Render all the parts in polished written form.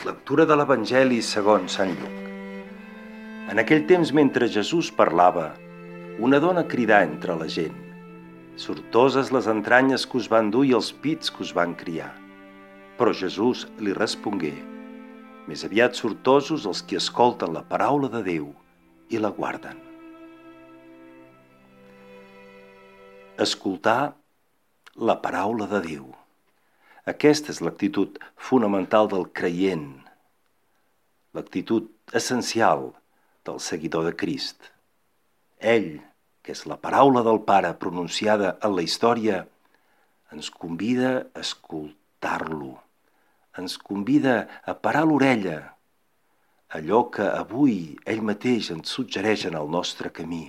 Lectura de l'Evangeli segons Sant Lluc. En aquell temps, mentre Jesús parlava, una dona cridà entre la gent: «Sortoses les entranyes que us van dur i els pits que us van criar». Però Jesús li respongué: «Més aviat sortosos els qui escolten la paraula de Déu i la guarden». Escoltar la paraula de Déu. Aquesta és l'actitud fonamental del creient, l'actitud essencial del seguidor de Crist. Ell, que és la paraula del Pare pronunciada en la història, ens convida a escoltar-lo, ens convida a parar l'orella, allò que avui ell mateix ens suggereix en el nostre camí,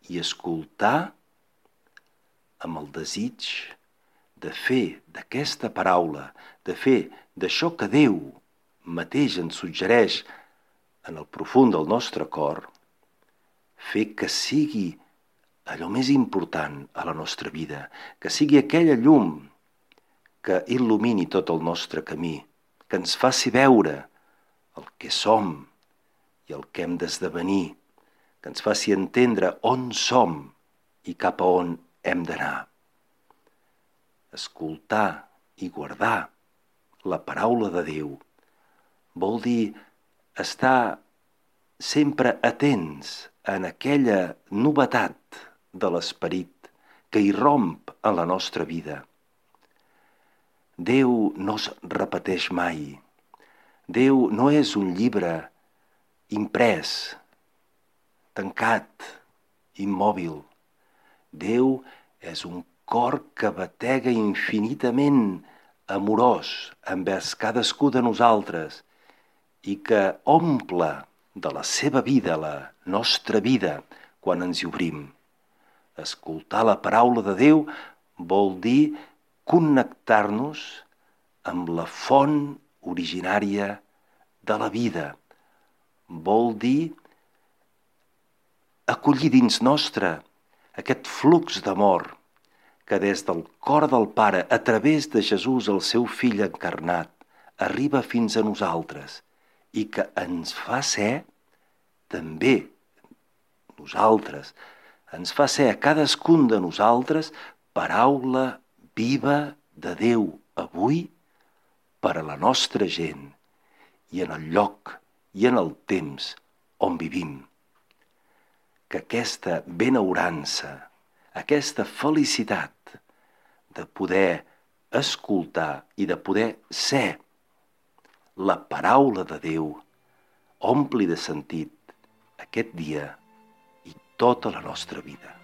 i escoltar amb el desig de fer d'aquesta paraula, de fer d'això que Déu mateix ens suggereix en el profund del nostre cor, fer que sigui allò més important a la nostra vida, que sigui aquella llum que il·lumini tot el nostre camí, que ens faci veure el que som i el que hem d'esdevenir, que ens faci entendre on som i cap a on hem d'anar. Escoltar i guardar la paraula de Déu vol dir estar sempre atents en aquella novetat de l'esperit que irromp en la nostra vida. Déu no es repeteix mai. Déu no és un llibre imprès, tancat, immòbil. Déu és un cor que batega infinitament amorós envers cadascú de nosaltres i que omple de la seva vida la nostra vida quan ens hi obrim. Escoltar la paraula de Déu vol dir connectar-nos amb la font originària de la vida. Vol dir acollir dins nostre aquest flux d'amor que des del cor del Pare, a través de Jesús, el seu fill encarnat, arriba fins a nosaltres i que ens fa ser també nosaltres, ens fa ser a cadascun de nosaltres paraula viva de Déu avui per a la nostra gent i en el lloc i en el temps on vivim. Que aquesta benaurança, aquesta felicitat de poder escoltar i de poder ser la paraula de Déu ompli de sentit aquest dia i tota la nostra vida.